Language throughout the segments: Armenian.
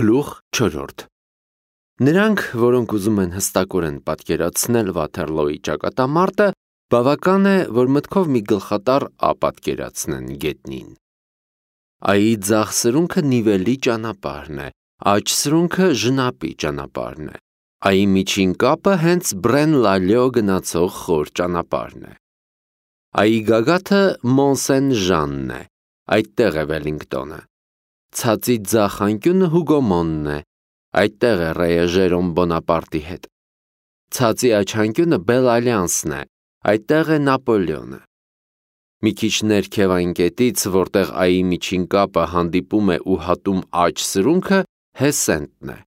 Գլուխ 4 Նրանք, որոնք ուզում են հստակորեն պատկերացնել Վաթերլոյի ճակատամարտը, բավական է, որ մտքով մի գլխատառ A պատկերացնեն գետնին։ A-ի ձախ սրունքը նիվելի ճանապարհն է, աջ սրունքը ժնապի ճանապարհն է, A-ի միջին կապը հենց Բրեն-Լալյո գնացող խոր ճանապարհն է։ A-ի գագաթը Մոն-Սեն-Ժանն է, այդտեղ է Վելինգտոնը։ Ցածի ձախ անկյունը Հուգոմոնն է, այդտեղ է Ռեյը Ժերոմ Բոնապարտի հետ։ Ցածի աջ անկյունը Բել-Ալյանսն է, այդտեղ է Նապոլեոնը։ Մի քիչ ներքև այն կետից, որտեղ A-ի միջին կապը հանդիպում է ու հատում աջ սրունքը, Հեսենտն է։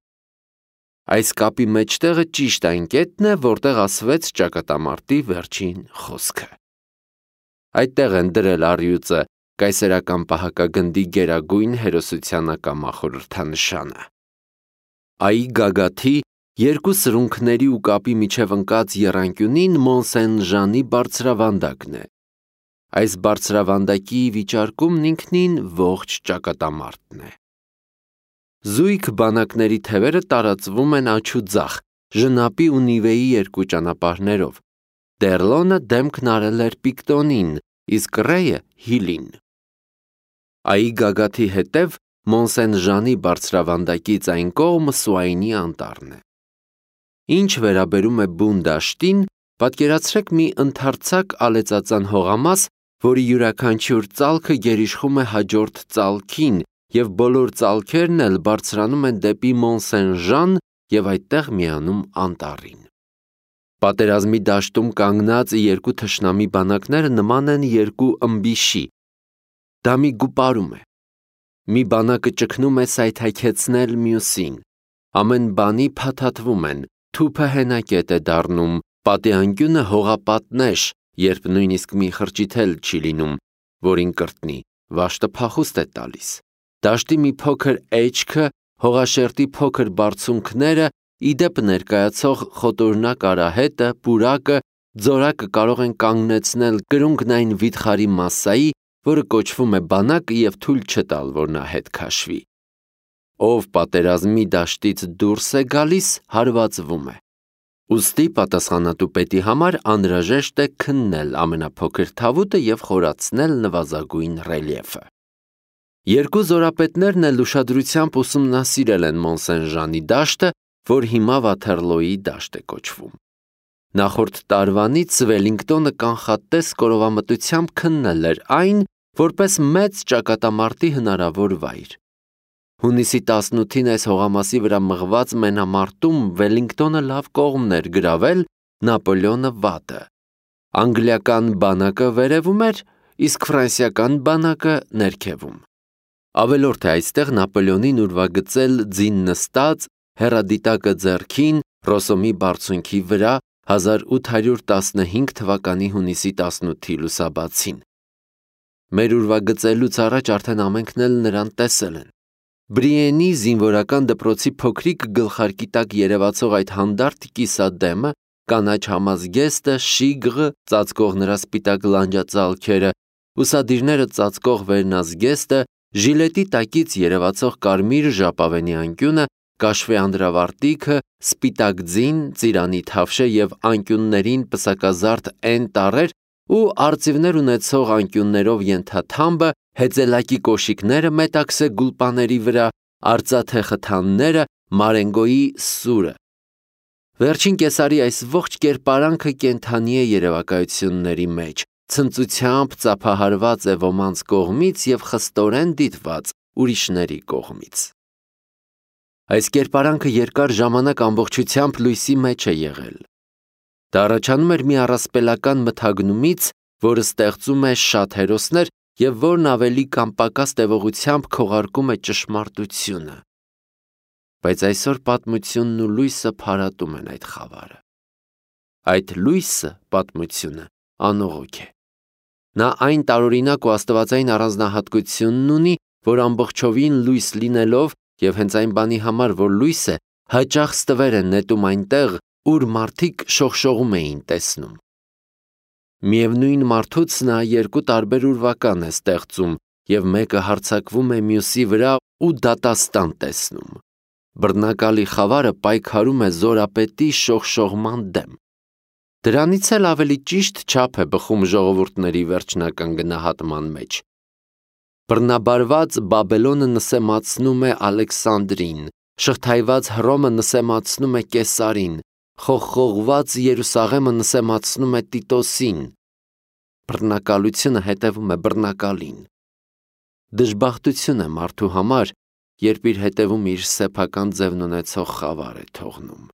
Այս կապի մեջտեղը ճիշտ այն կետն է, որտեղ ասվեց ճակատամարտի վերջին խոսքը։ Այդտեղ են դրել առյուծը կայսերական պահակագնդի գերագույն հերոսությանակամախորհրդանշանը։ A-ի գագաթի երկու սրունքների ու կապի միջև ընկած եռանկյունին Մոն-Սեն-Ժանի բարձրավանդակն է։ Այս բարձրավանդակի վիճարկումն ինքնին ողջ ճակատամարտն է։ Զույգ բանակների թևերը տարածվում են աջ ու ձախ, ժնապի ու նիվեի երկու ճանապարհներով։ Դերլոնը դեմքն արել էր Պիկտոնին, իսկ Ռեյը Հիլին։ A-ի գագաթի հետև Մոն-Սեն-Ժանի բարձրավանդակից այն կողմը Սուայնի անտառն է։ Ինչ վերաբերում է բուն դաշտին, պատկերացրեք մի ընդարձակ ալեծածան հողամաս, որի յուրաքանչյուր ծալքը գերիշխում է հաջորդ ծալքին, և բոլոր ծալքերն էլ բարձրանում են դեպի Մոն-Սեն-Ժան և այդտեղ միանում անտառին։ Պատերազմի դաշտում կանգնած երկու թշնամի բանակները նման են երկու ըմբիշի։ Դա մի գուպարում է։ Մի բանակը ճգնում է սայթաքեցնել մյուսին։ Ամեն բանի փաթաթվում են, թուփը հենակետ է դառնում, պատի անկյունը հողապատնեշ, երբ նույնիսկ մի խրճիթ էլ չի լինում, որին կրտնի, վաշտը փախուստ է տալիս։ Դաշտի մի փոքր էջքը, հողաշերտի փոքր բարձունքները, ի դեպ ներկայացող խոտորնակ արահետը, պուրակը, ձորակը կարող են կանգնեցնել կրունկն վիթխարի մասսայի, որը կոչվում է բանակ և թույլ չտալ, որ նա հետ քաշվի։ Ով պատերազմի դաշտից դուրս է գալիս, հարվածվում է։ Ուստի պատասխանատու պետի համար անհրաժեշտ է քննել ամենափոքր թավուտը և խորացնել նվազագույն ռելիեֆը։ Երկու զորապետներն էլ ուշադրությամբ ուսումնասիրել են Մոն-Սեն-Ժանի դաշտը, որ հիմա Վաթերլոյի դաշտ է կոչվում։ Նախորդ տարվանից Վելինգտոնը կանխատես կորովամտությամբ քննել էր այն, որպես մեծ ճակատամարտի հնարավոր վայր։ Հունիսի 18-ին այս հողամասի վրա մղված մենամարտում Վելինգտոնը լավ կողմն էր գրավել, Նապոլեոնը վատը։ Անգլիական բանակը վերևում էր, իսկ ֆրանսիական բանակը ներքևում։ Ավելորդ է այստեղ Նապոլեոնին ուրվագծել ձին նստած, հեռադիտակը ձեռքին, Ռոսոմի բարձունքի վրա 1815 թվականի հունիսի 18-ի լուսաբացին։ Մեր ուրվագծելուց առաջ արդեն ամենքն էլ նրան տեսել են։ Բրիենի զինվորական դպրոցի փոքրիկ գլխարկի տակ երևացող այդ հանդարտ կիսադեմը, կանաչ համազգեստը, շիգղը, ծածկող նրա սպիտակ լանջածալքերը, ուսադիրները ծածկող վերնազգեստը, ժիլետի տակից երևացող կարմիր ժապավենի անկյունը, կաշվե անդրավարտիքը, սպիտակ ձին, ծիրանի թավշե և անկյուններին պսակազարդ N տառեր ու արծիվներ ունեցող անկյուններով ենթաթամբը, հեծելակի կոշիկները մետաքսե գուլպաների վրա, արծաթե խթանները, Մարենգոյի սուրը։ Վերջին կեսարի այս ողջ կերպարանքը կենդանի է երևակայությունների մեջ, ցնծությամբ ծափահարված է ոմանց կողմից և խստորեն դիտված ուրիշների կողմից։ Այս կերպարանքը երկար ժամանակ ամբողջությամբ լույսի մեջ է եղել։ Դա առաջանում էր մի առասպելական մթագնումից, որը ստեղծում է շատ հերոսներ և որն ավելի կամ պակաս տևողությամբ քողարկում է ճշմարտությունը։ Բայց այսօր պատմությունն ու լույսը փարատում են այդ խավարը։ Այդ լույսը, պատմությունը, անողոք է։ Նա այն տարօրինակ ու աստվածային առանձնահատկությունն ունի, որ ամբողջովին լույս լինելով և հենց այն բանի համար, որ լույս է, հաճախ ստվեր են նետում այնտեղ, ուր մարդիկ շողշողում էին տեսնում։ Միևնույն մարդուց նա երկու տարբեր ուրվական է ստեղծում և մեկը հարձակվում է մյուսի վրա ու դատաստան տեսնում։ Բռնակալի խավարը պայքարում է զորապետի շողշողման դեմ։ Դրանից էլ ավելի ճիշտ չափ է բխում ժողովուրդների վերջնական գնահատման մեջ։ Բռնաբարված Բաբելոնը նսեմացնում է Ալեքսանդրին, շղթայված Հռոմը նսեմացնում է Կեսարին, խողխողված Երուսաղեմը նսեմացնում է Տիտոսին։ Բռնակալությունը հետևում է բռնակալին։ Դժբախտություն է մարդու համար, երբ իր հետևում իր սեփական ձևն ունեցող խավար է թողնում։